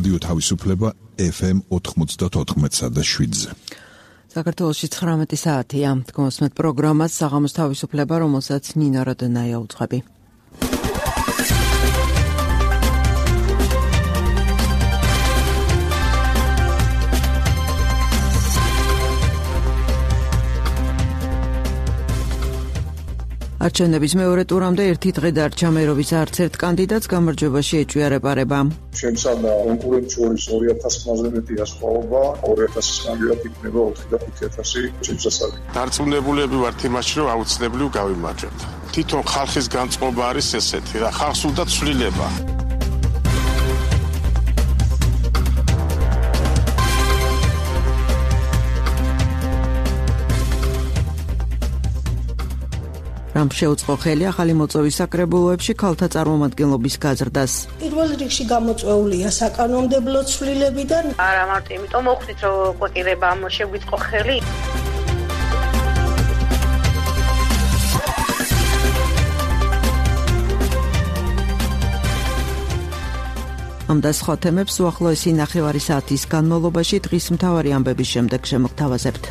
რადიო თავისუფლება FM 94.7-ზე. საქართველოში 19 საათია. გმოსმეთ პროგრამას საღამოს თავისუფლება, რომელსაც ნინა როდენაია უძღვები. არჩევნების მეორე ტურამდე ერთი დღე დარჩა, მერობის არც ერთ კანდიდატს გამარჯვებაში ეჭვია რეპარება. შემცადა კონკურენტ შორის 2000-ზე მეტია სხვაობა, 2000-ის კანდიდატ იქნება 4-5,000 შემსასწავლი. დარწმუნებულები ვართ იმაში, რომ აუცილებლივ გავიმარჯვებთ. თვითონ ხალხის განწყობა არის ესეთი და ხალხს უნდა ცვლილება. რამ შეუწყო ხელი ახალი მოწვევის საკრებულოებში ქალთა წარმომადგენლობის გაზრდას. პირველ რიგში გამოწვეულია საკანონმდებლო ცვლილებიდან. არა მარტო იმიტომ მოხდით, რომ კვირებამ შეგვიწყო ხელი. ამ და სხვა თემებს უახლოესი ნახევარი საათის განმავლობაში დღის მთავარი ამბების შემდეგ შემოგთავაზებთ.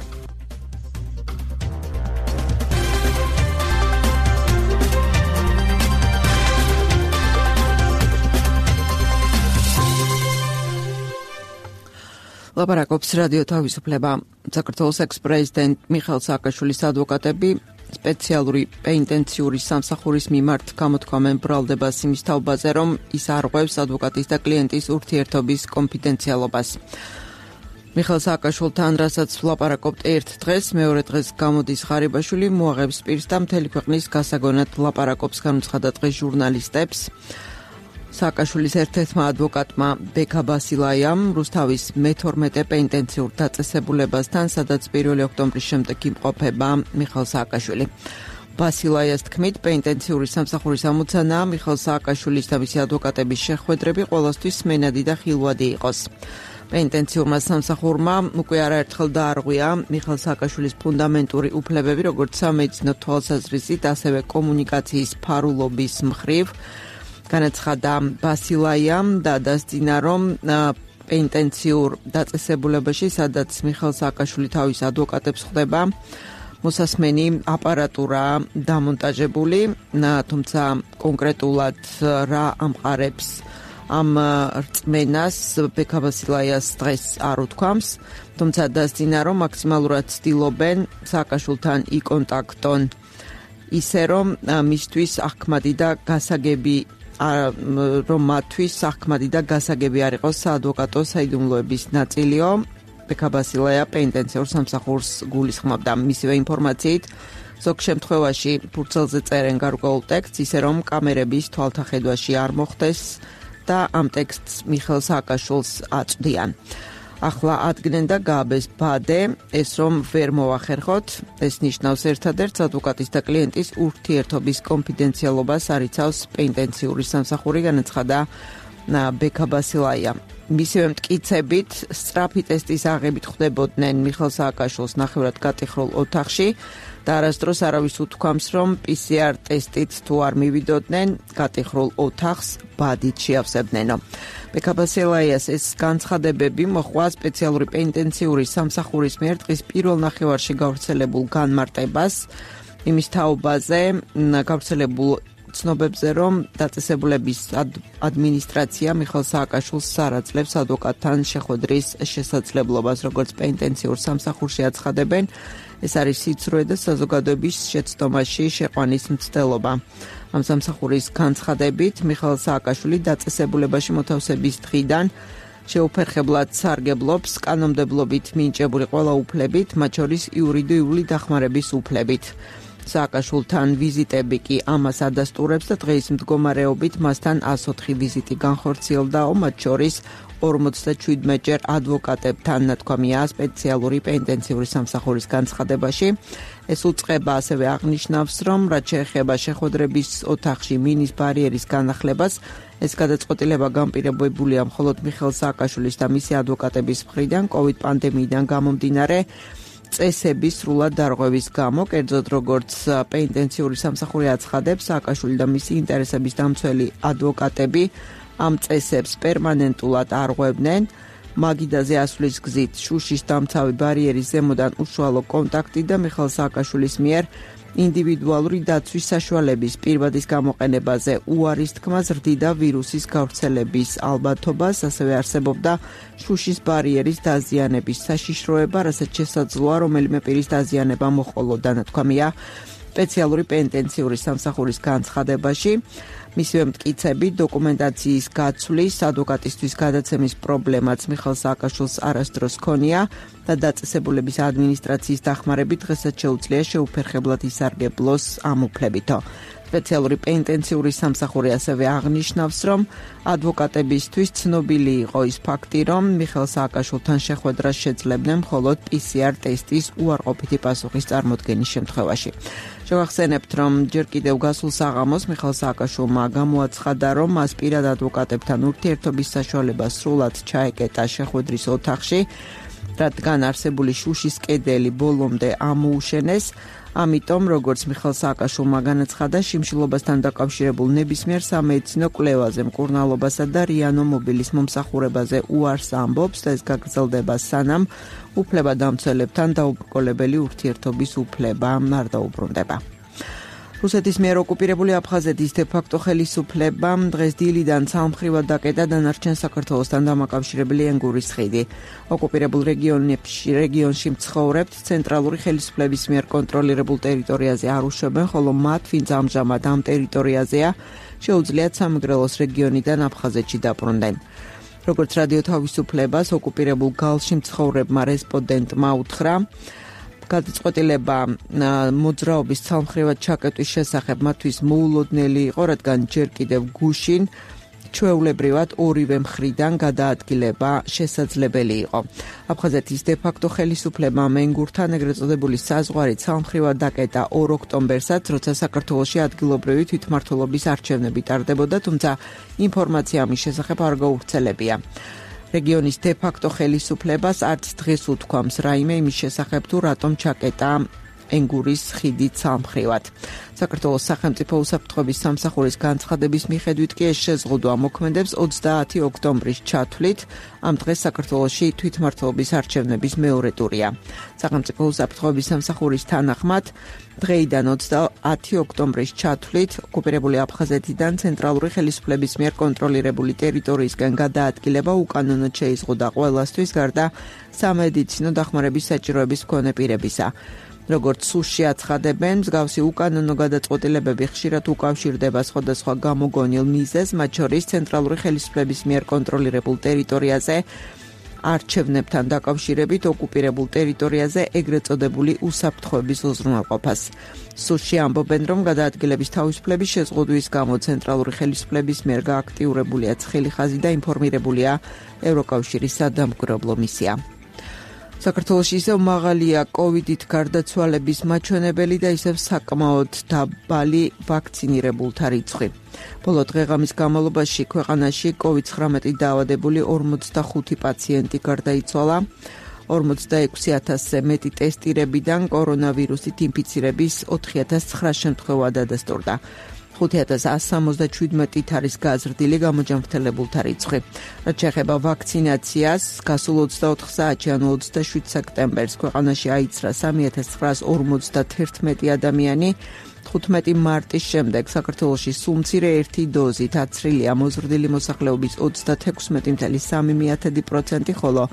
ლაპარაკობს რადიო თავისუფლება. საქართველოს ექს-პრეზიდენტ მიხეილ სააკაშვილის ადვოკატები სპეციალური პენიტენციური სამსახურის მიმართ გამოთქვამენ ბრალდებას იმის თაობაზე, რომ ის არღვევს ადვოკატის და კლიენტის ურთიერთობის კონფიდენციალობას. მიხეილ სააკაშვილთან, რასაც ვლაპარაკობთ ერთ დღეს, მეორე დღეს გამოდის ღარიბაშვილი, მოაღებს პირს და მთელი ქვეყნის გასაგონად ლაპარაკობს, განუცხადა დღეს ჟურნალისტებს. სააკაშვილის ერთ-ერთმა ადვოკატმა ბექა ბასილაიამ რუსთავის მე-12 პენიტენციურ დაწესებულებასთან, სადაც 1 ოქტომბრის შემდეგ იმყოფება მიხეილ სააკაშვილი. ბასილაიას თქმით, პენიტენციური სამსახურის ამოცანაა მიხეილ სააკაშვილის და მისი ადვოკატების შეხვედრები ყველასთვის სმენადი და ხილვადი იყოს. პენიტენციურმა სამსახურმა უკვე არაერთხელ დაარღვია მიხეილ სააკაშვილის ფუნდამენტური უფლებები, როგორც სამედიცინო თვალსაზრისით, ასევე კომუნიკაციის ფარულობის მხრივ. განაცხადა ბასილაიამ და დასძინა, რომ პენიტენციურ დაწესებულებაში, სადაც მიხეილ სააკაშვილი თავის ადვოკატებს ხვდება, მოსასმენი აპარატურა დამონტაჟებული, თუმცა კონკრეტულად რა ამყარებს ამ რწმენას ბექა ბასილაიას დღეს არ უთქვამს, თუმცა დასძინა, რომ მაქსიმალურად ცდილობენ სააკაშვილთან იკონტაქტონ, ისე რომ მისთვის ახმადი და გასაგები რომ მათთვის ახმადი და გასაგები არ იყოს საადვოკატო საიდუმლოების ნაწილიო. ბექა ბასილაია პენიტენციურ სამსახურს გულისხმობდა. მისივე ინფორმაციით, ზოგ შემთხვევაში ფურცელზე წერენ გარკვეულ ტექსტს, ისე რომ კამერების თვალთახედვაში არ მოხდეს და ამ ტექსტს მიხეილ სააკაშვილს აწვდიან. ახლა ადგენენ და გააბეს ბადე, ეს რომ ვერ მოახერხოთ, ეს ნიშნავს ერთადერთს ადვოკატის და კლიენტის ურთიერთობის კონფიდენციალობას არიცავს პენიტენციური სამსახური, განაცხადა ბექა ბასილაია. მისივე მტკიცებით, სწრაფი ტესტის აღებით ხვდებოდნენ მიხეილ სააკაშვილს ნახევრად გატიხრულ ოთახში და არასდროს არავის უთქვამს, რომ PCR ტესტით თუ არ მივიდოდნენ, გატიხრულ ოთახს ბადით შეავსებდნენო. ბექა ბასილაიას ეს განცხადებები მოჰყვა სპეციალური პენიტენციური სამსახურის მიერ დღის პირველ ნახევარში გავრცელებულ განმარტებას იმის თაობაზე, გავრცელებულ ცნობებზე, რომ დაწესებულების ადმინისტრაცია მიხეილ სააკაშვილს არ აძლევს ადვოკატთან შეხვედრის შესაძლებლობას, როგორც პენიტენციურ სამსახურში აცხადებენ. ეს არის სიცრუე და საზოგადოების შეცდომაში შეყვანის მცდელობა. ამ სამსახურის განცხადებით, მიხეილ სააკაშვილი დაწესებულებაში მოთავსების დღიდან შეუფერხებლად სარგებლობს კანონმდებლობით მინიჭებული ყველა უფლებით, მათ შორის იურიდიული დახმარების უფლებით. სააკაშვილთან ვიზიტები კი ამას ადასტურებს და დღეის მდგომარეობით მასთან 104 ვიზიტი განხორციელდაო, მათ შორის 47ჯერ ადვოკატებთან, ნათქვამია სპეციალური პენიტენციური სამსახურის განცხადებაში. ეს უწყება ასევე აღნიშნავს, რომ რაც შეეხება შეხვედრების ოთახში მინის ბარიერის განახლებას, ეს გადაწყვეტილება განპირობებულია მხოლოდ მიხეილ სააკაშვილის და მისი ადვოკატების მხრიდან COVID პანდემიიდან გამომდინარე წესების სრულად დარღვევის გამო, კერძოდ როგორც პენიტენციური სამსახური აცხადებს, სააკაშვილი და მისი ინტერესების დამცველი ადვოკატები ამ წესებს პერმანენტულად არღვევდნენ. მაგიდაზე ასვლის გზით შუშის დამცავი ბარიერის ზემოდან უშუალო კონტაქტი და მიხეილ სააკაშვილის მიერ ინდივიდუალური დაცვის საშუალების პირვადის გამოყენებაზე უარის თქმა ზრდიდა ვირუსის გავრცელების ალბათობას, ასევე არსებობდა შუშის ბარიერის დაზიანების საშიშროება, რასაც შესაძლოა რომელიმე პირის დაზიანება მოჰყოლოდა, ნათქვამია სპეციალური პენიტენციური სამსახურის განცხადებაში. მისივე მტკიცები დოკუმენტაციის გაცვლის, ადვოკატისთვის გადაცემის პრობლემაც მიხეილ სააკაშვილს არასდროს ჰქონია და დაწესებულების ადმინისტრაციის დახმარებით დღესაც შეუძლია შეუფერხებლად ისარგებლოს ამ უფლებითო. სპეციალური პენიტენციური სამსახური ასევე აღნიშნავს, რომ ადვოკატებისთვის ცნობილი იყო ის ფაქტი, რომ მიხეილ სააკაშვილთან შეხვედრას შეძლებდნენ მხოლოდ PCR ტესტის უარყოფითი პასუხის წარმოდგენის შემთხვევაში. შევახსენებთ, რომ ჯერ კიდევ გასულ საღამოს მიხეილ სააკაშვილმა გამოაცხადა, რომ მას პირად ადვოკატებთან ურთიერთობის საშუალება სრულად ჩაეკეტა შეხვედრის ოთახში, რადგან არსებული შუშის კედელი ბოლომდე ამოუშენეს. ამიტომ, როგორც მიხეილ სააკაშვილმა განაცხადა, შიმშილობასთან დაკავშირებულ ნებისმიერ სამედიცინო კვლევაზე, მკურნალობასა და რიანო მობილის მომსახურებაზე უარს ამბობს და ეს გაგრძელდება სანამ უფლებადამცველებთან დაუბრკოლებელი ურთიერთობის უფლება არ დაუბრუნდება. რუსეთის მიერ ოკუპირებული აფხაზეთის დე-ფაქტო ხელისუფლებამ დღეს დილიდან ცალმხრივად დაკეტა დანარჩენ საქართველოსთან დამაკავშირებელი ენგურის ხიდი. ოკუპირებულ რეგიონში მცხოვრებთ ცენტრალური ხელისუფლების მიერ კონტროლირებულ ტერიტორიაზე არ უშვებენ, ხოლო მათ, ვინც ამჟამად ამ ტერიტორიაზეა, შეუძლიათ სამეგრელოს რეგიონიდან აფხაზეთში დაბრუნდნენ. როგორც რადიო თავისუფლებას ოკუპირებულ გალში მცხოვრებმა რესპონდენტმა უთხრა, გადაწყვეტილება მოძრაობის ცალმხრივად ჩაკეტვის შესახებ მათთვის მოულოდნელი იყო, რადგან ჯერ კიდევ გუშინ ჩვეულებრივად ორივე მხრიდან გადაადგილება შესაძლებელი იყო. აფხაზეთის დე-ფაქტო ხელისუფლებამ ენგურთან ეგრეთ წოდებული საზღვარი ცალმხრივად დაკეტა 2 ოქტომბერსაც, როცა საქართველოში ადგილობრივი თვითმმართველობის არჩევნები ტარდებოდა, თუმცა ინფორმაცია ამის შესახებ არ გავრცელებია. რეგიონის დე-ფაქტო ხელისუფლებას არც დღეს უთქვამს რაიმე იმის შესახებ, თუ რატომ ჩაკეტა ენგურის ხიდი ცალმხრივად. საქართველოს სახელმწიფო უსაფრთხოების სამსახურის განცხადების მიხედვით კი ეს შეზღუდვა მოქმედებს 30 ოქტომბრის ჩათვლით. ამ დღეს საქართველოში თვითმმართველობის არჩევნების მეორე ტურია. სახელმწიფო უსაფრთხოების სამსახურის თანახმად დღეიდან 30 ოქტომბრის ჩათვლით ოკუპირებული აფხაზეთიდან ცენტრალური ხელისუფლების მიერ კონტროლირებული ტერიტორიისგან გადაადგილება უკანონოდ შეიზღუდა ყველასთვის, გარდა სამედიცინო დახმარების საჭიროების მქონე პირებისა. როგორც სუსში აცხადებენ, მსგავსი უკანონო გადაწყვეტილებები ხშირად უკავშირდება სხვადასხვა გამოგონილ მიზეზს, მათ შორის ცენტრალური ხელისუფლების მიერ კონტროლირებულ ტერიტორიაზე არჩევნებთან დაკავშირებით ოკუპირებულ ტერიტორიაზე ეგრეთ წოდებული უსაფრთხოების უზრუნველყოფას. სუსში ამბობენ, რომ გადაადგილების თავისუფლების შეზღუდვის გამო ცენტრალური ხელისუფლების მიერ გააქტიურებულია ცხელი ხაზი და ინფორმირებულია ევროკავშირის სადამკვირვებლო მისია. საქართველოში ისევ მაღალია კოვიდით გარდაცვალების მაჩვენებელი და ისევ საკმაოდ დაბალი ვაქცინირებულთა რიცხვი. ბოლო დღეღამის განმავლობაში ქვეყანაში COVID-19 დაავადებული 45 პაციენტი გარდაიცვალა. 46,000-ზე მეტი ტესტირებიდან კორონავირუსით ინფიცირების 4,900 შემთხვევა დადასტურდა. 5,177-ით არის გაზრდილი გამოჯანმრთელებულთა რიცხვი. რაც შეეხება ვაქცინაციას, გასულ 24 საათში, ანუ 27 სექტემბერს ქვეყანაში აიცრა 3,951 ადამიანი. 15 მარტის შემდეგ საქართველოში სულ მცირე ერთი დოზით აცრილია მოზრდილი მოსახლეობის 36,3%, ხოლო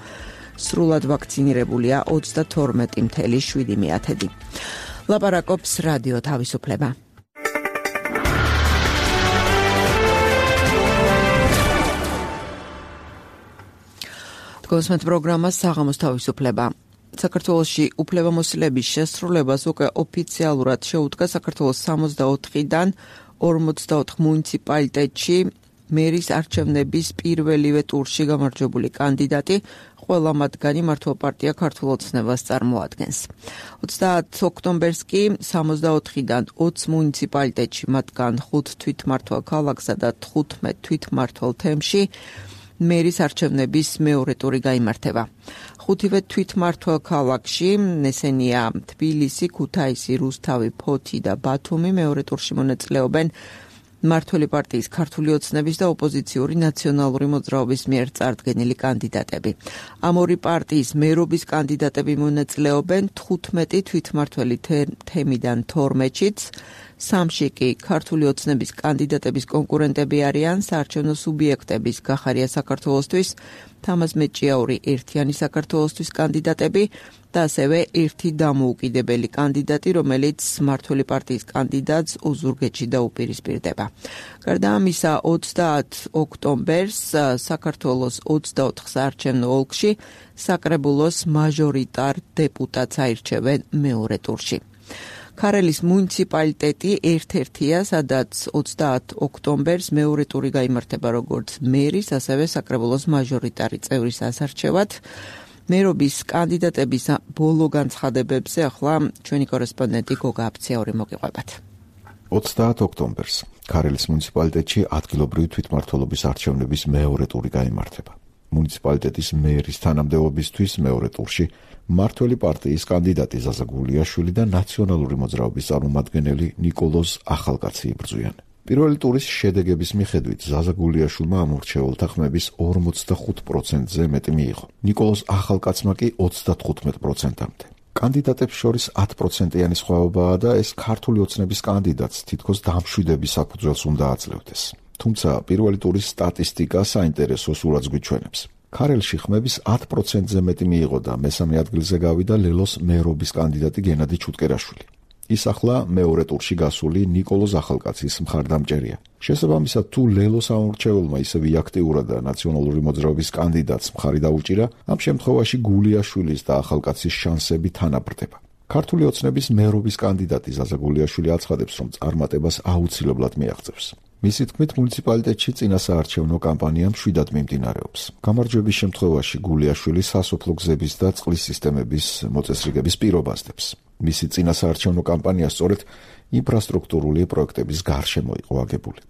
სრულად ვაქცინირებულია 32,7%. ლაპარაკობს რადიო თავისუფლება. კონსმეთ პროგრამა საღამოს თავისუფლება. საქართველოში უფლებამოსილების შესრულებას უკვე ოფიციალურად შეუდგა საქართველოს 64-დან 44 მუნიციპალიტეტში მერის არჩევნების პირველივე ტურში გამარჯვებული კანდიდატი, ყველა მათგანი მართლ პარტია ქართულ ოცნებას წარმოადგენს. 30 ოქტომბერს კი 64-დან 20 მუნიციპალიტეტში, მათგან 5 თვითმმართველ ქალაქსა და 15 თვითმმართველ თემში მერის არჩევნების მეორე ტური გაიმართება. 5-ვე თვითმმართველ ქალაქში, ესენია თბილისი, ქუთაისი, რუსთავი, ფოთი და ბათუმი, მეორე ტურში მონაწილეობენ მმართველი პარტიის ქართული ოცნების და ოპოზიციური ნაციონალური მოძრაობის მიერ წარდგენილი კანდიდატები. ამ ორი პარტიის მერობის კანდიდატები მონაწილეობენ 15 თვითმმართველი თემიდან 12-შიც, 3-ში კი ქართული ოცნების კანდიდატების კონკურენტები არიან საარჩევნო სუბიექტების გახარია საქართველოსთვის, თამაზ მეჭიაური ერთიანი საქართველოსთვის კანდიდატები და ასევე ერთი დამოუკიდებელი კანდიდატი, რომელიც მმართველი პარტიის კანდიდატს ოზურგეთში დაუპირისპირდება. გარდა ამისა, 30 ოქტომბერს საქართველოს 24 საარჩევნო ოლქში საკრებულოს მაჟორიტარ დეპუტატს აირჩევენ მეორე ტურში. ქარელის მუნიციპალიტეტი ერთ-ერთია, სადაც 30 ოქტომბერს მეორე ტური გაიმართება როგორც მერის, ასევე საკრებულოს მაჟორიტარი წევრის ასარჩევად. მერობის კანდიდატების ბოლო განცხადებებზე ახლა ჩვენი კორესპონდენტი გოგა აფციაური მოგიყვებათ. 30 ოქტომბერს ქარელის მუნიციპალიტეტში ადგილობრივი თვითმმართველობის არჩევნების მეორე ტური გაიმართება. მუნიციპალიტეტის მერის თანამდებობისთვის მეორე ტურში მმართველი პარტიის კანდიდატი ზაზა გულიაშვილი და ნაციონალური მოძრაობის წარმომადგენელი ნიკოლოზ ახალკაცი იბრძვიან. პირველი ტურის შედეგების მიხედვით ზაზა გულიაშვილმა ამორჩეულთა ხმების 45%-ზე მეტი მიიღო. ნიკოლოზ ახალკაცმა კი 35%-მდე. კანდიდატებს შორის 10%-იანი სხვაობაა და ეს ქართული ოცნების კანდიდატს თითქოს დამშვიდების საფუძველს უნდა აძლევდეს. თუმცა პირველი ტურის სტატისტიკა საინტერესო სურათს გვიჩვენებს. ქარელში ხმების 10%-ზე მეტი მიიღო და მესამე ადგილზე გავიდა ლელოს მერობის კანდიდატი გენადი ჩუტკერაშვილი. ის ახლა მეორე ტურში გასული ნიკოლოზ ახალკაცის მხარდამჭერია. შესაბამისად, თუ ლელოს ამორჩეულმა ისევე აქტიურად და ნაციონალური მოძრაობის კანდიდატს მხარი დაუჭირა, ამ შემთხვევაში გულიაშვილის და ახალკაცის შანსები თანაბრდება. ქართული ოცნების მერობის კანდიდატი ზაზა გულიაშვილი აცხადებს, რომ წარმატებას აუცილებლად მიაღწევს. მისი თქმით, მუნიციპალიტეტში წინასაარჩევნო კამპანია მშვიდად მიმდინარეობს. გამარჯვების შემთხვევაში გულიაშვილი სასოფლო გზების და წყლის სისტემების მოწესრიგების პირობას დებს. მისი წინასაარჩევნო კამპანია სწორედ ინფრასტრუქტურული პროექტების გარშემო იყო აგებული.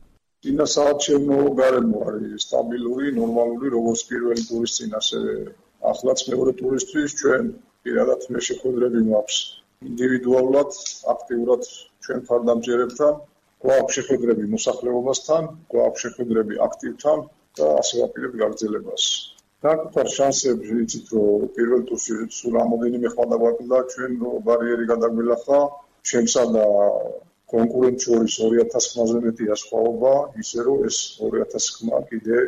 წინასაარჩევნო გარემო არის სტაბილური, ნორმალური, როგორც პირველი ტურის წინ, ასევე ახლაც მეორე ტურისთვის ჩვენ პირადად მე შეხვედრები მაქვს ინდივიდუალურად, აქტიურად ჩვენ მხარდამჭერებთან. გვაქვს შეხვედრები მოსახლეობასთან, გვაქვს შეხვედრები აქტივთან და ასე ვაპირებ გაგრძელებას. საკუთარ შანსებს ვიცით, რომ პირველ ტურში სულ რამოდენიმე ხმა დაგვაკლდა, ჩვენ ბარიერი გადაგვილახა, ჩემსა და კონკურენტ შორის 2000 ხმაზე მეტია სხვაობა, ისე რომ ეს 2000 ხმა კიდე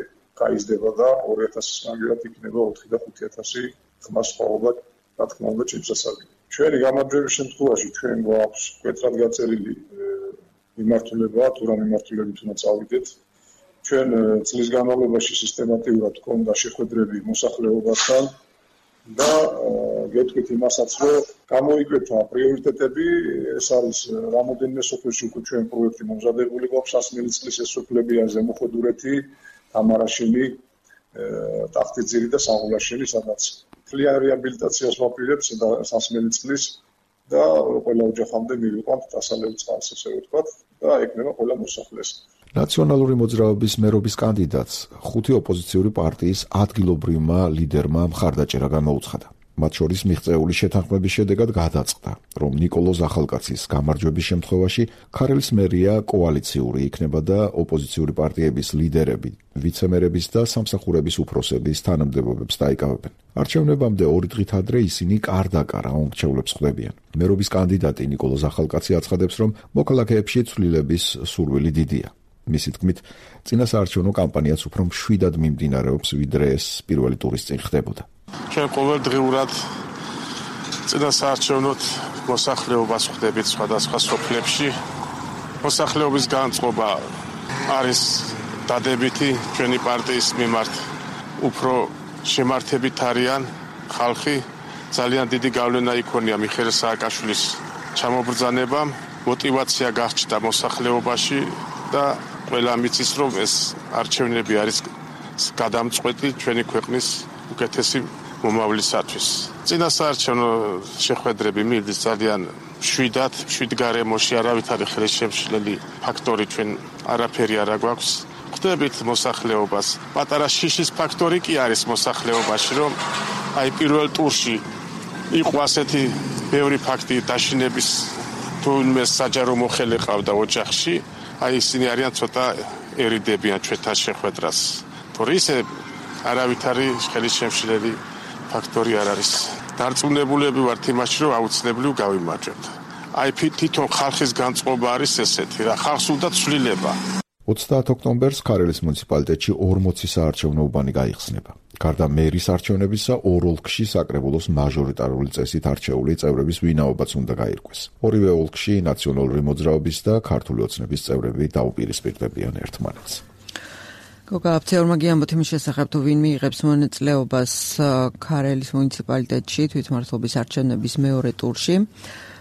გაიზრდება და 2000 მაგალითად იქნება 4 და 5000 ხმა სხვაობა, რა თქმა უნდა, ჩემსასწავლი. ჩვენი გამარჯვების შემთხვევაში ჩვენ გვაქვს კეთრად გაწერილი მიმართულება, თუ რა მიმართულებით უნდა წავიდეთ. ჩვენ წლის განმავლობაში სისტემატურად გქონდა შეხვედრები მოსახლეობასთან და გეტყვით იმასაც, რომ გამოიკვეთა პრიორიტეტები, ეს არის რამოდენიმე სოფელში უკვე ჩვენ პროექტი მომზადებული გვაქვს, 100 წლის ეს სოფლებია ზემოხვედურეთი, თამარაშენი, ტახტიძირი და საღულაშენი, სადაც მთლიან რეაბილიტაციას ვაპირებთ და 100 წლის და ყველა ოჯახამდე მივიყვანთ დასალევ წყალს, ესე ვთქვათ, და ეკნება ყველა მოსახლეს. ნაციონალური მოძრაობის მერობის კანდიდატს 5 ოპოზიციური პარტიის ადგილობრივმა ლიდერმა მხარდაჭერა გამოუცხადა. მათ შორის მიღწეული შეთანხმების შედეგად გადაწყდა, რომ ნიკოლოზ ახალკაცის გამარჯვების შემთხვევაში ქარელის მერია კოალიციური იქნება და ოპოზიციური პარტიების ლიდერები, ვიცემერების და სამსახურების უფროსების თანამდებობებს დაიკავებენ. არჩევნებამდე 2 დღით ადრე ისინი კარ-დაკარ აუმრჩევლებს ხვდებიან. მერობის კანდიდატი ნიკოლოზ ახალკაცი აცხადებს, რომ მოქალაქეებში ცვლილების სურვილი დიდია. მისი თქმით, წინასაარჩევნო კამპანიაც უფრო მშვიდად მიმდინარეობს, ვიდრე ეს პირველი ტურის წინ ხდებოდა. ჩვენ ყოველდღიურად წინასაარჩევნოთ მოსახლეობას ხვდებით სხვადასხვა სოფლებში. მოსახლეობის განწყობა არის დადებითი ჩვენი პარტიის მიმართ. უფრო შემართებით არიან ხალხი. ძალიან დიდი გავლენა იქონია მიხეილ სააკაშვილის ჩამობრძანებამ. მოტივაცია გაჩნდა მოსახლეობაში და ყველა მიცის, რომ ეს არჩევნები არის გადამწყვეტი ჩვენი ქვეყნის უკეთესი მომავლისათვის. წინასაარჩევნო შეხვედრები მიდის ძალიან მშვიდად, მშვიდ გარემოში, არავითარი ხელშემშლელი ფაქტორი ჩვენ არაფერი არ გვაქვს. ხვდებით მოსახლეობას. პატარა შიშის ფაქტორი კი არის მოსახლეობაში, რომ აი პირველ ტურში იყო ასეთი ბევრი ფაქტი დაშინების თუ მე საჯარო მოხელე ყავდა ოჯახში. აი ისინი არიან ცოტა ერიდებიან ჩვენთან შეხვედრას. თორე ისე არავითარი ხელის შემშლელი ფაქტორი არ არის. დარწმუნებულები ვართ იმაში, რომ აუცილებლად გავიმარჯვებთ. აი თვითონ ხალხის განწყობა არის ესეთი, რა ხალხს უნდა ცვლილება. 30 ოქტომბერს ქარელის მუნიციპალიტეტში 40 საარჩევნო უბანი გაიხსნება. გარდა მერის არჩევნებისა, ორ ოლქში საკრებულოს მაჟორიტარული წესით არჩეული წევრების ვინაობაც უნდა გაირკვეს. ორივე ოლქში ნაციონალური მოძრაობის და ქართული ოცნების წევრები დაუპირისპირდებიან ერთმანეთს. გოგა აფცეორმა გიამბოთ იმის შესახებ, თუ ვინ მიიღებს მონაწილეობას ქარელის მუნიციპალიტეტში თვითმმართველობის არჩევნების მეორე ტურში.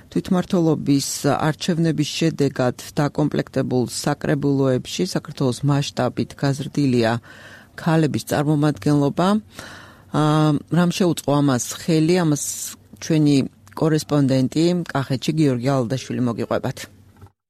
თვითმმართველობის არჩევნების შედეგად დაკომპლექტებულ საკრებულოებში საქართველოს მასშტაბით გაზრდილია ქალების წარმომადგენლობა. რამ შეუწყო ამას ხელი, ამას ჩვენი კორესპონდენტი კახეთში გიორგი ალდაშვილი მოგიყვებათ.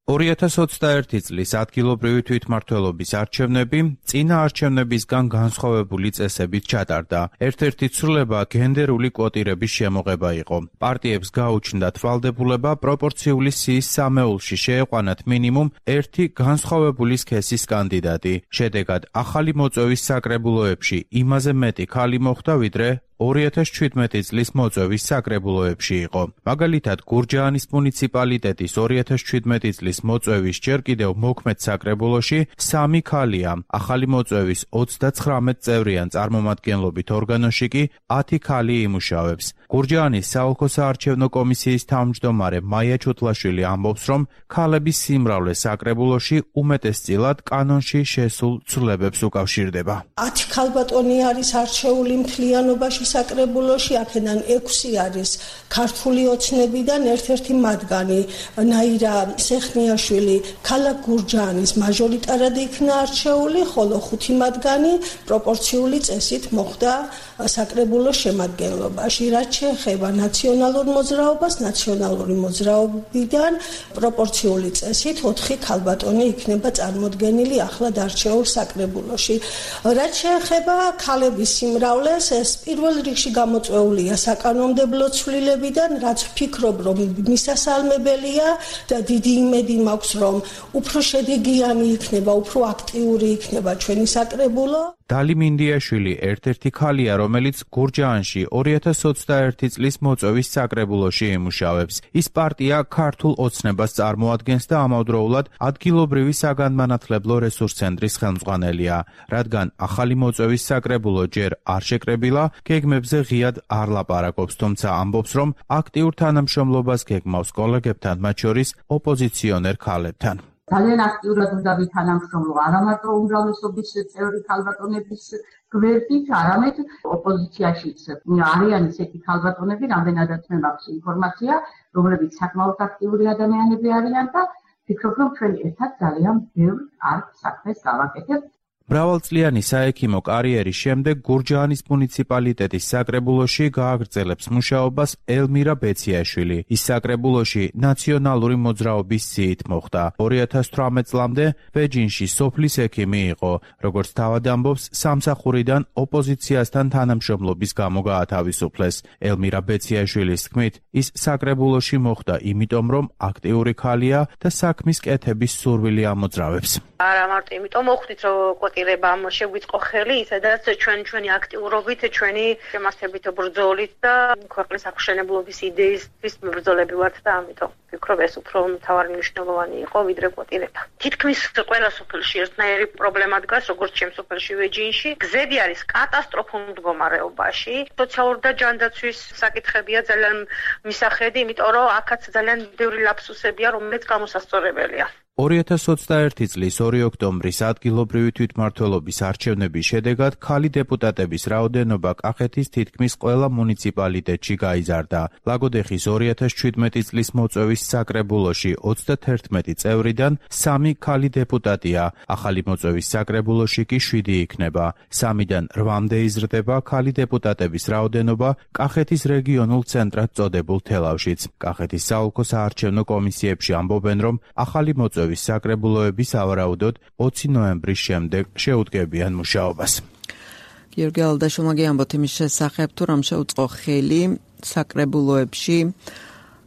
2021 წლის ადგილობრივი თვითმმართველობის არჩევნები წინა არჩევნებისგან განსხვავებული წესებით ჩატარდა. ერთ-ერთი ცვლილება გენდერული კვოტირების შემოღება იყო. პარტიებს გაუჩნდათ ვალდებულება პროპორციული სიის სამეულში შეეყვანათ მინიმუმ ერთი განსხვავებული სქესის კანდიდატი. შედეგად ახალი მოწვევის საკრებულოებში იმაზე მეტი ქალი მოხვდა, ვიდრე 2017 წლის მოწვევის საკრებულოებში იყო. მაგალითად, გურჯაანის მუნიციპალიტეტის 2017 წლის მოწვევის ჯერ კიდევ მოქმედ საკრებულოში 3 ქალია. ახალი მოწვევის 39 წევრიან წარმომადგენლობით ორგანოში კი 10 ქალი იმუშავებს. გურჯაანის საოლქო საარჩევნო კომისიის თავმჯდომარე მაია ჩუტლაშვილი ამბობს, რომ ქალების სიმრავლე საკრებულოში უმეტესწილად კანონში შესულ ცვლილებებს უკავშირდება. 10 ქალბატონი არის არჩეული მთლიანობაში საკრებულოში, აქედან 6 არის ქართული ოცნებიდან, ერთ-ერთი მათგანი ნაირა სეხნიაშვილი ქალაქ გურჯაანის მაჟორიტარად იქნა არჩეული, ხოლო 5 მათგანი პროპორციული წესით მოხვდა საკრებულოს შემადგენლობაში. რაც შეეხება ნაციონალურ მოძრაობას, ნაციონალური მოძრაობიდან პროპორციული წესით 4 ქალბატონი იქნება წარმოდგენილი ახლად არჩეულ საკრებულოში. რაც შეეხება ქალების სიმრავლეს, ეს პირველ რიგში გამოწვეულია საკანონმდებლო ცვლილებიდან, რაც ვფიქრობ, რომ მისასალმებელია და დიდი იმედი მაქვს, რომ უფრო შედეგიანი იქნება, უფრო აქტიური იქნება ჩვენი საკრებულო. დალი მინდიაშვილი ერთ-ერთი ქალია, რომელიც გურჯაანში 2021 წლის მოწვევის საკრებულოში იმუშავებს. ის პარტია ქართულ ოცნებას წარმოადგენს და ამავდროულად ადგილობრივი საგანმანათლებლო რესურსცენტრის ხელმძღვანელია. რადგან ახალი მოწვევის საკრებულო ჯერ არ შეკრებილა, გეგმებზე ღიად არ ლაპარაკობს, თუმცა ამბობს, რომ აქტიურ თანამშრომლობას გეგმავს კოლეგებთან, მათ შორის ოპოზიციონერ ქალებთან. ძალიან აქტიურად უნდა ვითანამშრომლო არა მარტო უმრავლესობის წევრი ქალბატონების გვერდით, არამედ ოპოზიციაშიც არიან ისეთი ქალბატონები, რამდენადაც მე მაქვს ინფორმაცია, რომლებიც საკმაოდ აქტიური ადამიანები არიან და ვფიქრობ, რომ ჩვენ ერთად ძალიან ბევრ საქმეს გავაკეთებთ. მრავალწლიანი საექიმო კარიერის შემდეგ გურჯაანის მუნიციპალიტეტის საკრებულოში გააგრძელებს მუშაობას ელმირა ბეციაშვილი. ის საკრებულოში ნაციონალური მოძრაობის სიით მოხვდა. 2018 წლამდე ბეჯინში სოფლის ექიმი იყო. როგორც თავად ამბობს, სამსახურიდან ოპოზიციასთან თანამშრომლობის გამო გაათავისუფლეს. ელმირა ბეციაშვილის თქმით, ის საკრებულოში მოხვდა იმიტომ, რომ აქტიური ქალია და საქმის კეთების სურვილი ამოძრავებს. არა მარტო იმიტომ მოხვდით, რომ კვოტირება შეგვიწყო ხელი, სადაც ჩვენი აქტიურობით, ჩვენი შემასებით ბრძოლით და ქვეყნის აღშენებლობის იდეისთვის მებრძოლები ვართ და ამიტომ ვფიქრობ, ეს უფრო მთავარი მნიშვნელოვანი იყო, ვიდრე კვოტირება. თითქმის ყველა სოფელში ერთნაირი პრობლემა დგას, როგორც ჩემ სოფელში ვეჯინში. გზები არის კატასტროფულ მდგომარეობაში. სოციალური და ჯანდაცვის საკითხებია ძალიან მისახედი, იმიტომ რომ აქაც ძალიან ბევრი ლაფსუსებია, რომელიც გამოსასწორებელია. 2021 წლის 2 ოქტომბრის ადგილობრივი თვითმმართველობის არჩევნების შედეგად ქალი დეპუტატების რაოდენობა კახეთის თითქმის ყველა მუნიციპალიტეტში გაიზარდა. ლაგოდეხის 2017 წლის მოწვევის საკრებულოში 31 წევრიდან 3 ქალი დეპუტატია, ახალი მოწვევის საკრებულოში კი 7 იქნება. 3-დან 8-მდე იზრდება ქალი დეპუტატების რაოდენობა კახეთის რეგიონულ ცენტრად წოდებულ თელავშიც. კახეთის საოლქო საარჩევნო კომისიებში ამბობენ, რომ ახალი მოწვევის საკრებულოები სავარაუდოდ 20 ნოემბრის შემდეგ შეუდგებიან მუშაობას. გიორგი ალდაშვილმა გიამბოთ იმის შესახებ, თუ რამ შეუწყო ხელი საკრებულოებში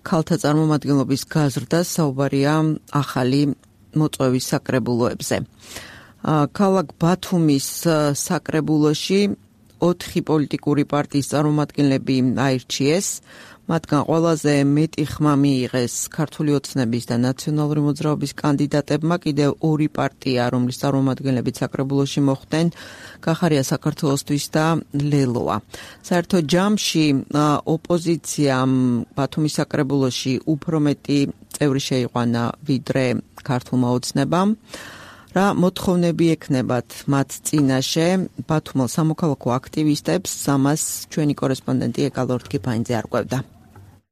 ქალთა წარმომადგენლობის გაზრდას, საუბარია ახალი მოწვევის საკრებულოებზე. ქალაქ ბათუმის საკრებულოში 4 პოლიტიკური პარტიის წარმომადგენლები აირჩიეს. მათგან ყველაზე მეტი ხმა მიიღეს ქართული ოცნების და ნაციონალური მოძრაობის კანდიდატებმა. კიდევ 2 პარტია, რომლის წარმომადგენლებიც საკრებულოში მოხვდნენ, გახარია საქართველოსთვის და ლელოა. საერთო ჯამში ოპოზიციამ ბათუმის საკრებულოში უფრო მეტი წევრი შეიყვანა ვიდრე ქართულმა ოცნებამ. რა მოთხოვნები ექნებათ მათ წინაშე ბათუმელ სამოქალაქო აქტივისტებს, ამას ჩვენი კორესპონდენტი ეკალორთ კიფაინძე არკვევდა.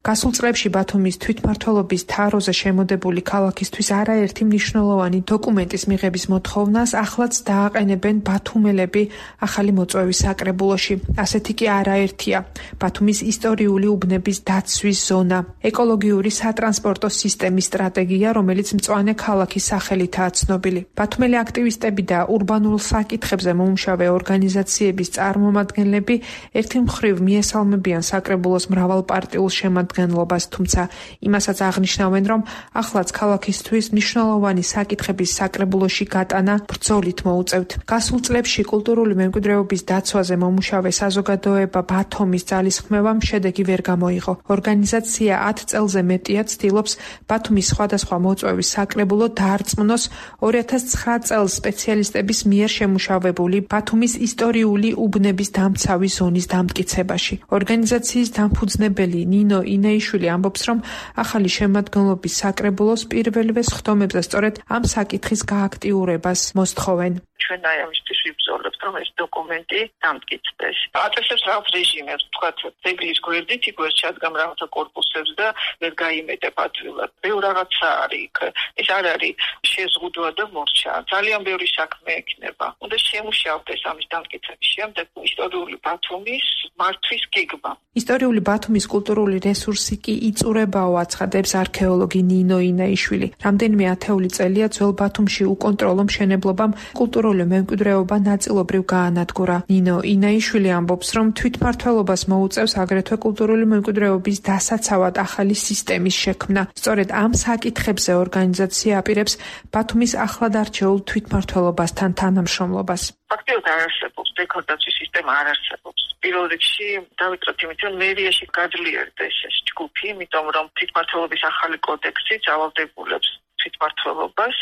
გასულ წლებში ბათუმის თვითმმართველობის თაროზე შემოდებული ქალაქისთვის არაერთი მნიშვნელოვანი დოკუმენტის მიღების მოთხოვნას ახლაც დააყენებენ ბათუმელები ახალი მოწვევის საკრებულოში. ასეთი კი არაერთია. ბათუმის ისტორიული უბნების დაცვის ზონა, ეკოლოგიური სატრანსპორტო სისტემის სტრატეგია, რომელიც მწვანე ქალაქის სახელითაა ცნობილი. ბათუმელი აქტივისტები და ურბანულ საკითხებზე მომუშავე ორგანიზაციების წარმომადგენლები ერთი მხრივ მიესალმებიან საკრებულოს მრავალპარტიულ შემადგენლობას, თუმცა იმასაც აღნიშნავენ, რომ ახლაც ქალაქისთვის მნიშვნელოვანი საკითხების საკრებულოში გატანა ბრძოლით მოუწევთ. გასულ წლებში კულტურული მემკვიდრეობის დაცვაზე მომუშავე საზოგადოება ბათუმის ძალისხმევამ შედეგი ვერ გამოიღო. ორგანიზაცია 10 წელზე მეტია ცდილობს ბათუმის სხვადასხვა მოწვევის საკრებულო დაარწმუნოს 2009 წელს სპეციალისტების მიერ შემუშავებული ბათუმის ისტორიული უბნების დამცავი ზონის დამტკიცებაში. ორგანიზაციის დამფუძნებელი ნინო ინეიშვილი ამბობს, რომ ახალი შემადგენლობის საკრებულოს პირველივე სხდომებზე სწორედ ამ საკითხის გააქტიურებას მოსთხოვენ. ჩვენ აიამისთვის ვიბრძოლებთ, რომ ეს დოკუმენტი დამტკიცდეს. აწესებს რაღაც რეჟიმებს, თქვათ, ძეგლის გვერდით იქ ვერ ჩადგამ რაღაცა კორპუსებს და ვერ გაიმეტებ ადვილად. ბევრ რაღაცა არის იქ. ეს არ არის შეზღუდვა და მორჩა. ძალიან ბევრი საქმე ექნება. უნდა შემუშავდეს ამის დამტკიცების შემდეგ ისტორიული ბათუმის მართვის გეგმა. ისტორიული ბათუმის კულტურული რესურსი კი იწურებაო, აცხადებს არქეოლოგი ნინო ინეიშვილი. რამდენიმე ათეული წელია ძველ ბათუმში უკონტროლო მშენებლობამ კულტურული მემკვიდრეობა ნაწილობრივ გაანადგურა. ნინო ინეიშვილი ამბობს, რომ თვითმმართველობას მოუწევს აგრეთვე კულტურული მემკვიდრეობის დასაცავად ახალი სისტემის შექმნა. სწორედ ამ საკითხებზე ორგანიზაცია აპირებს ბათუმის ახლად არჩეულ თვითმმართველობასთან თანამშრომლობას. ფაქტიურად არ არსებობს დეკორდაციის სისტემა, არ არსებობს. პირველ რიგში დავიწყოთ იმით, რომ მერიაში გაძლიერდეს ეს ჯგუფი, იმიტომ რომ თვითმმართველობის ახალი კოდექსი ძალადებულებს თვითმმართველობას,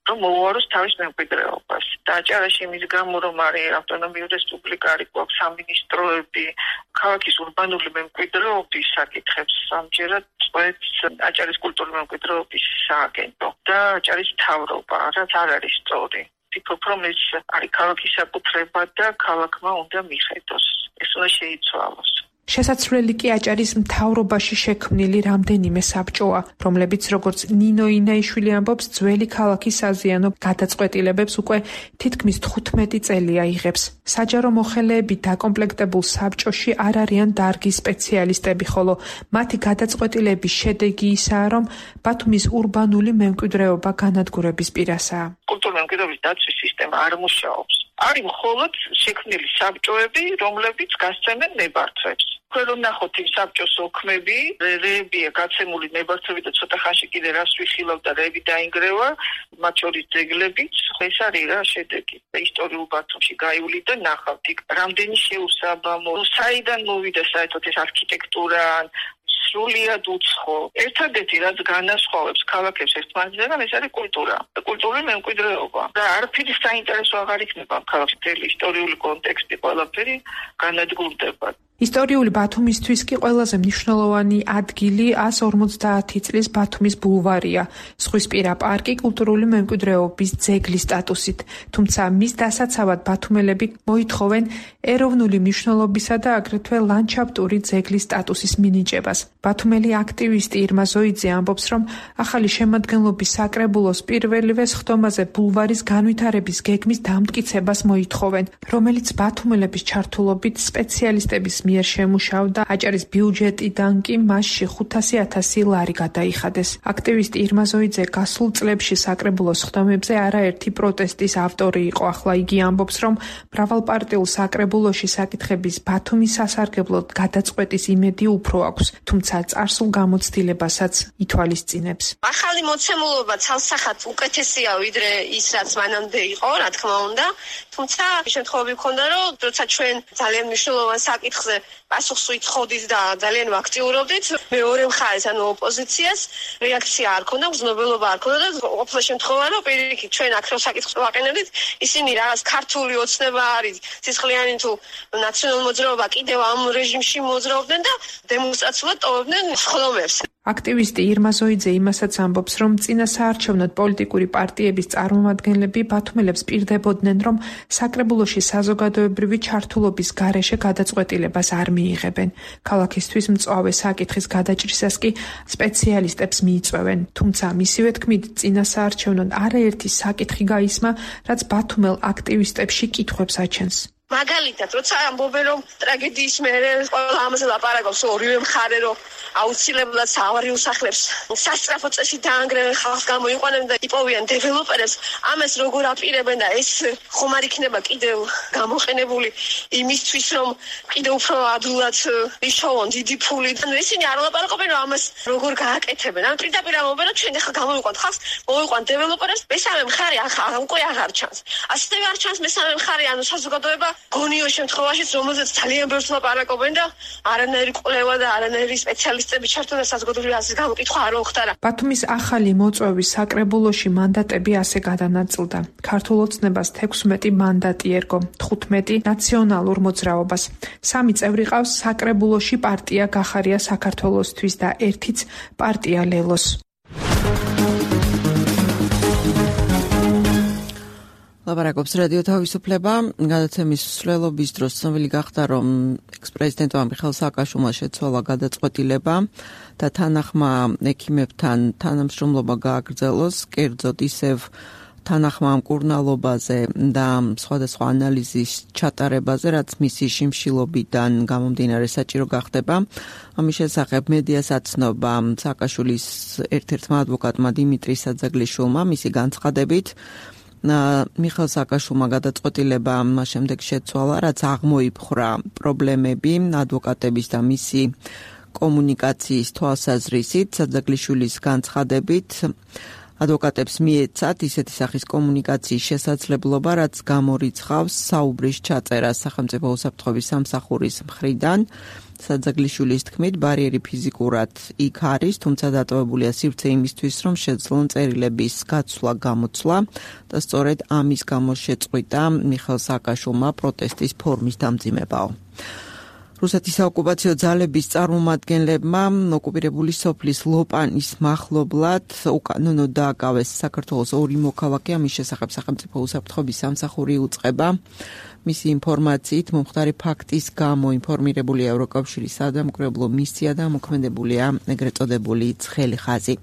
რომ მოუაროს თავის მემკვიდრეობას. დააჭარაში იმის გამო, რომ არის ავტონომიური რესპუბლიკა, არის გვაქვს სამინისტროები, ქალაქის ურბანული მემკვიდრეობის საკითხებს ამჯერად წყვეტს აჭარის კულტურული მემკვიდრეობის სააგენტო და აჭარის მთავრობა, რაც არ არის სწორი. ვფიქრობ, რომ ეს არის ქალაქის საკუთრება და ქალაქმა უნდა მიხედოს. ეს უნდა შეიცვალოს. შესაძლებელი კი აჭარის მთავრობაში შექმნილი რამდენიმე საბჭოა, რომლებიც როგორც ნინო ინეიშვილი ამბობს, ძველი ქალაქის საზიანო გადაწყვეტილებებს უკვე თითქმის 15 წელია იღებს. საჯარო მოხელეებით დაკომპლექტებულ საბჭოში არ არიან დარგის სპეციალისტები, ხოლო მათი გადაწყვეტილების შედეგი ისაა, რომ ბათუმის ურბანული მემკვიდრეობა განადგურების პირასაა. კულტურული მემკვიდრეობის დაცვის სისტემა არ მუშაობს. არის მხოლოდ შექმნილი საბჭოები, რომლებიც გასცემენ ნებართვებს. თქვენ რომ ნახოთ იმ საბჭოს ოქმები, რეებია გაცემული ნებართვები და ცოტა ხანში კიდე რას ვიხილავ და რეები დაინგრევა, მათ შორის ძეგლებიც, ეს არის რა შედეგი. ისტორიულ ბათუმში გაივლი და ნახავთ იქ რამდენი შეუსაბამო, საიდან მოვიდა საერთოდ ეს არქიტექტურა, სრულიად უცხო. ერთადერთი რაც განასხვავებს ქალაქებს ერთმანეთისგან, ეს არის კულტურა. კულტურული მემკვიდრეობა. და არაფერი საინტერესო აღარ იქნება ქალაქში, ისტორიული კონტექსტი ყველაფერი განადგურდება. ისტორიული ბათუმისთვის კი ყველაზე მნიშვნელოვანი ადგილი 150 წლის ბათუმის ბულვარია, ზღვისპირა პარკი კულტურული მემკვიდრეობის ძეგლის სტატუსით, თუმცა მის დასაცავად ბათუმელები მოითხოვენ ეროვნული მნიშვნელობისა და აგრეთვე ლანდშაფტური ძეგლის სტატუსის მინიჭებას. ბათუმელი აქტივისტი ირმა ზოიძე ამბობს, რომ ახალი შემადგენლობის საკრებულოს პირველივე სხდომაზე ბულვარის განვითარების გეგმის დამტკიცებას მოითხოვენ, რომელიც ბათუმელების ჩართულობით სპეციალისტების მიერ შემუშავდა, აჭარის ბიუჯეტიდან კი მასში 500,000 ლარი გადაიხადეს. აქტივისტი ირმა ზოიძე გასულ წლებში საკრებულოს ხდომებზე არაერთი პროტესტის ავტორი იყო. ახლა იგი ამბობს, რომ მრავალპარტიულ საკრებულოში საკითხების ბათუმის სასარგებლოდ გადაწყვეტის იმედი უფრო აქვს, თუმცა წარსულ გამოცდილებასაც ითვალისწინებს. ახალი მოცემულობა ცალსახად უკეთესია ვიდრე ის, რაც მანამდე იყო, რა თქმა უნდა, თუმცა შემთხვევები მქონდა, რომ როცა ჩვენ ძალიან მნიშვნელოვან საკითხზე პასუხს ვითხოვდით და ძალიან ვაქტიურობდით, მეორე მხარეს, ანუ ოპოზიციას რეაქცია არ ქონდა, გრძნობელობა არ ქონდა და ყოფილა შემთხვევა, რომ პირიქით ჩვენ აქ რო საკითხს ვაყენებდით, ისინი რაღაც ქართული ოცნება არის, სისხლიანი თუ ნაციონალურ მოძრაობა კიდევ ამ რეჟიმში მოძრაობდნენ და დემონსტრაციულად ტოვებდნენ ხდომებს. აქტივისტი ირმა ზოიძე იმასაც ამბობს, რომ წინა საარჩევნოდ პოლიტიკური პარტიების წარმომადგენლები ბათუმელებს პირდებოდნენ, რომ საკრებულოში საზოგადოებრივი ჩართულობის გარეშე გადაწყვეტილებას არ მიიღებენ. ქალაქისთვის მწვავე საკითხის გადაჭრისას კი სპეციალისტებს მიიწვევენ. თუმცა მისივე თქმით, წინა საარჩევნოდ არაერთი საკითხი გაისმა, რაც ბათუმელ აქტივისტებში კითხვებს აჩენს. მაგალითად, როცა ამბობენ, რომ ტრაგედიის მერე ყველა ამაზე ლაპარაკობს, ორივე მხარე რომ აუცილებლად საავარიო სახლებს სასწრაფო წესით დაანგრევენ, ხალხს გამოიყვანებენ და იპოვიან დეველოპერებს, ამას როგორ აპირებენ და ეს ხომ არ იქნება კიდევ გამოყენებული იმისთვის, რომ კიდევ უფრო ადვილად იშოვონ დიდი ფული. ისინი არ ლაპარაკობენ, რომ ამას როგორ გააკეთებენ. ან პირდაპირ ამბობენ, რომ ჩვენ ახლა გამოიყვანთ ხალხს, მოიყვანთ დეველოპერებს, მესამე მხარე უკვე აღარ ჩანს. ასევე არ ჩანს მესამე მხარე, ანუ საზოგადოება გონიო შემთხვევაშიც, რომელზეც ძალიან ბევრს ლაპარაკობენ და არანაირი კვლევა და არანაირი სპეციალისტები ჩართვა და საზოგადოებრივი აზრის გამოკითხვა არ მოხდარა. ბათუმის ახალი მოწვევის საკრებულოში მანდატები ასე გადანაწილდა. ქართულ ოცნებას 16 მანდატი ერგო, 15 ნაციონალურ მოძრაობას. 3 წევრი ყავს საკრებულოში პარტია გახარია საქართველოსთვის და 1-იც პარტია ლელოს. ლაპარაკობს რადიო თავისუფლება. გადაცემის მსვლელობის დროს ცნობილი გახდა, რომ ექს-პრეზიდენტმა მიხეილ სააკაშვილმა შეცვალა გადაწყვეტილება და თანახმა ექიმებთან თანამშრომლობა გააგრძელოს, კერძოდ ისევ თანახმა მკურნალობაზე და სხვადასხვა ანალიზის ჩატარებაზე, რაც მისი შიმშილობიდან გამომდინარე საჭირო გახდება. ამის შესახებ მედიას აცნობა სააკაშვილის ერთ-ერთმა ადვოკატმა დიმიტრი საძაგლიშვილმა მისი განცხადებით. მიხეილ სააკაშვილმა გადაწყვეტილება მას შემდეგ შეცვალა, რაც აღმოიფხვრა პრობლემები ადვოკატების და მისი კომუნიკაციის თვალსაზრისით. საძაგლიშვილის განცხადებით ადვოკატებს მიეცათ ისეთი სახის კომუნიკაციის შესაძლებლობა, რაც გამორიცხავს საუბრის ჩაწერას სახელმწიფო უსაფრთხოების სამსახურის მხრიდან. საძაგლიშვილის თქმით, ბარიერი ფიზიკურად იქ არის, თუმცა დატოვებულია სივრცე იმისთვის, რომ შეძლონ წერილების გაცვლა, გამოცვლა და სწორედ ამის გამო შეწყვიტა მიხეილ სააკაშვილმა პროტესტის ფორმის დამძიმებაო. რუსეთის საოკუპაციო ძალების წარმომადგენლებმა ოკუპირებული სოფლის ლოპანის მახლობლად უკანონოდ დააკავეს საქართველოს 2 მოქალაქე. ამის შესახებ სახელმწიფო უსაფრთხოების სამსახური უწყება. მისი ინფორმაციით მომხდარი ფაქტის გამო ინფორმირებულია ევროკავშირის სადამკვირვებლო მისია და მოქმედებულია ეგრეთ წოდებული ცხელი ხაზი.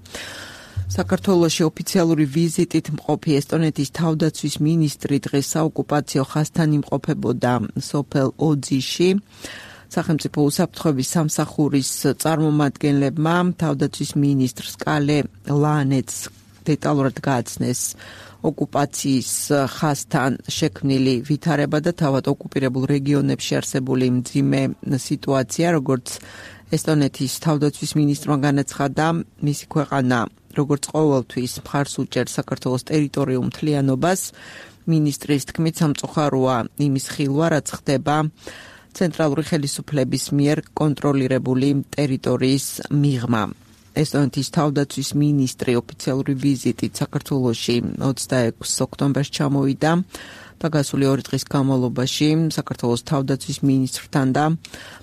საქართველოში ოფიციალური ვიზიტით მყოფი ესტონეთის თავდაცვის მინისტრი დღეს საოკუპაციო ხაზთან იმყოფებოდა სოფელ ოძიში. სახელმწიფო უსაფრთხოების სამსახურის წარმომადგენლებმა თავდაცვის მინისტრს კალე ლანეთს დეტალურად გააცნეს ოკუპაციის ხაზთან შექმნილი ვითარება და თავად ოკუპირებულ რეგიონებში არსებული მძიმე სიტუაცია, როგორც ესტონეთის თავდაცვის მინისტრმა განაცხადა, მისი ქვეყანა როგორც ყოველთვის მხარს უჭერს საქართველოს ტერიტორიულ მთლიანობას. მინისტრის თქმით, სამწუხაროა იმის ხილვა, რაც ხდება ცენტრალური ხელისუფლების მიერ კონტროლირებული ტერიტორიის მიღმა. ესტონეთის თავდაცვის მინისტრი ოფიციალური ვიზიტით საქართველოში 26 ოქტომბერს ჩამოვიდა და გასული 2 დღის განმავლობაში საქართველოს თავდაცვის მინისტრთან და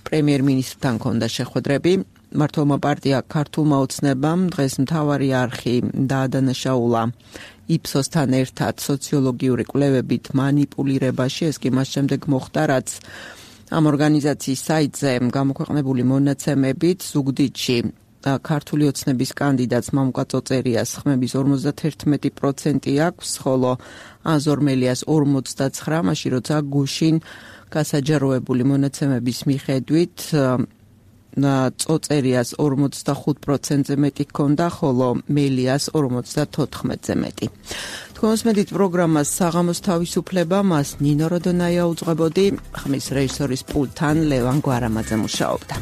პრემიერ-მინისტრთან ჰქონდა შეხვედრები. მმართველმა პარტია ქართულმა ოცნებამ დღეს მთავარი არხი დაადანაშაულა იფსოსთან ერთად სოციოლოგიური კვლევებით მანიპულირებაში. ეს კი მას შემდეგ მოხდა, რაც ამ ორგანიზაციის საიტზე გამოქვეყნებული მონაცემებით ზუგდიდში ქართული ოცნების კანდიდატს მამუკა წოწერიას ხმების 51% აქვს, ხოლო აზორმელიას 49, მაშინ როცა გუშინ გასაჯაროებული მონაცემების მიხედვით წოწერიას 45%-ზე მეტი ჰქონდა, ხოლო მელიას 54%-ზე მეტი. თქვენს მედით პროგრამას საღამოს თავისუფლება, მას ნინო როდონაია უძღვებოდი, ხმის რეჟისორის პულტთან ლევან გვარამაძე მუშაობდა.